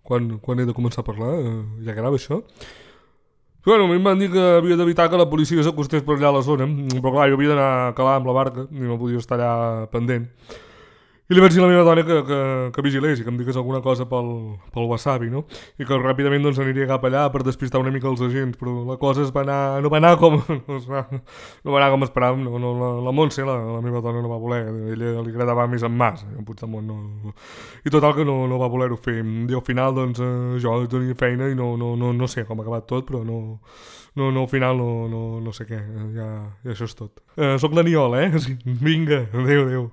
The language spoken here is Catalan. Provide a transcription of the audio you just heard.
quan he de començar a parlar, ja grava això. Bueno, a mi em van dir que havia d'evitar que la policia s'acostés per allà a la zona, però clar, jo havia d'anar a calar amb la barca i no podia estar allà pendent. I li vaig dir a la meva dona que vigilés i que em digués alguna cosa pel wasabi, no? I que ràpidament doncs, aniria cap allà per despistar una mica els agents, però la cosa no va anar com, no va anar com esperàvem. La Montse, la meva dona, no va voler, a ella li agradava més en Mas, en Puigdemont no. I total que no va voler-ho fer. I al final doncs, jo tenia feina i no sé com ha acabat tot, però al final no sé què, ja això és tot. Soc l'Aniol, eh? Vinga, adéu.